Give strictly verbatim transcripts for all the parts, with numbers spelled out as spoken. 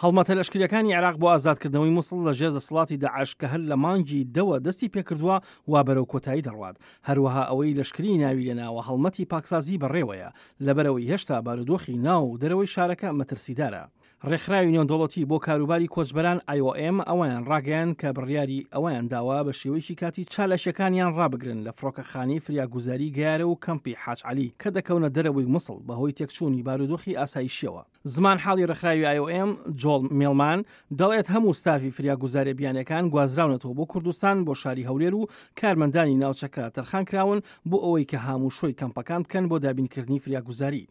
هەڵمەتە لەشکریەکانی عێراق بۆ ئازادکردنەوەی موسڵ لە ژێر دەسەڵاتی داعش کە هەر لە مانگی دەوە دەستی پێکردووە وا بەرەو کۆتایی دەڕوات. هەروەها ئەوەی لەشکری ناوی لێناوە هەڵمەتی پاکسازی بەڕێوەیە، لەبەرئەوەی هێشتا بارودۆخی ناو و دەرەوەی شارەکە مەترسیدارە. ڕێکخراوی نێودەوڵەتی بۆ کاروباری کۆچبەران I O M ئەوەیان ڕاگەیاند کە بڕیاری ئەوەیان داوە بە شێوەیەکی کاتی چالاکیەکانیان ڕابگرن لە فڕۆکەخانەی فریاگوزاری گەیارە و کەمپی حاج عەلی کە دەکەونە دەرەوەی موسڵ بەهۆی تێکچوونی بارودۆخی ئاسایشیەوە. زمانحاڵی ڕێکخراوی I O M جۆڵ میڵمان دەڵێت هەموو ستافی فریاگوزاریە بیانیەکان گوازراونەتەوە بۆ کوردستان بۆ شاری هەولێر و کارمەندانی ناوچەکە تەرخان کراون بۆ ئەوەی کە هاموشۆی کەمپەکان بکەن بۆ دابینکردنی فریاگوزاری.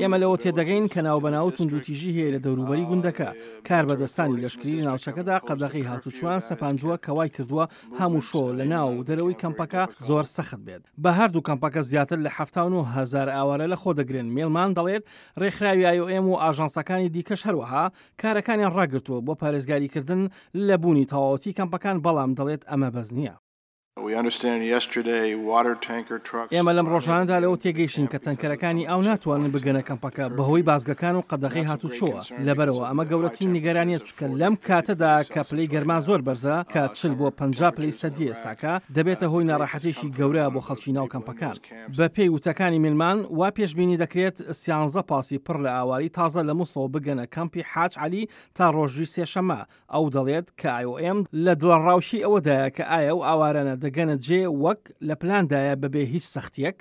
ئێمە لەوە تێدەگەین کە ناوبەناو توندوتیژی هەیە لە دەوروبەری گوندەکە. کاربەدەستانی لەشکری لە ناوچەکەدا قەدەغەی هاتوچۆیان سەپاندووە کە وای کردووە هاموشۆ لە ناو و دەرەوەی کەمپەکە زۆر سەخت بێت. بە هەردوو کەمپەکە زیاتر لە حەفتا و نۆ هەزار ئاوارە لەخۆ دەگرن. میلمان دەڵێت ڕێکخراوی I O M و ئاژانسەکانی دیکەش هەروەها کارەکانیان ڕاگرتووە بۆ پارێزگاریکردن لە بوونی تەواوەتی کەمپەکان، بەڵام دەڵێت ئەمە بەس نییە. ئێمە لەم ڕۆژانەدا لەوە تێگەیشتین کە تەنکەرەکانی ئاو ناتوانن بگەنە کەمپەکە بەهۆی بازگەکان و قەدەغەی هاتوچۆوە، لەبەرئەوە ئەمە گەورەترین نیگەرانییە چونکە لەم کاتەدا کە پلەی گەرما زۆر بەرزە کە چل بۆ پەنجا پلەی سەدی ئێستاکە دەبێتە هۆی ناڕەحەتیەکی گەورە بۆ خەڵکی ناو کەمپەکان. بەپێی وتەکانی میلمان وا پێشبینی دەکرێت سیانزە پاسی پڕ لە ئاوارەی تازە لە موسڵەوە بگەنە کەمپی حاج عەلی تا ڕۆژی سێشەممە، ئەو دەڵێت کە I O M لە دڵەڕاوکێی ئەوەدایە کە ئایا ئەو ئاوارانە دەگەنە جێ وەک لە پلاندایە بەبێ هیچ سەختیەک.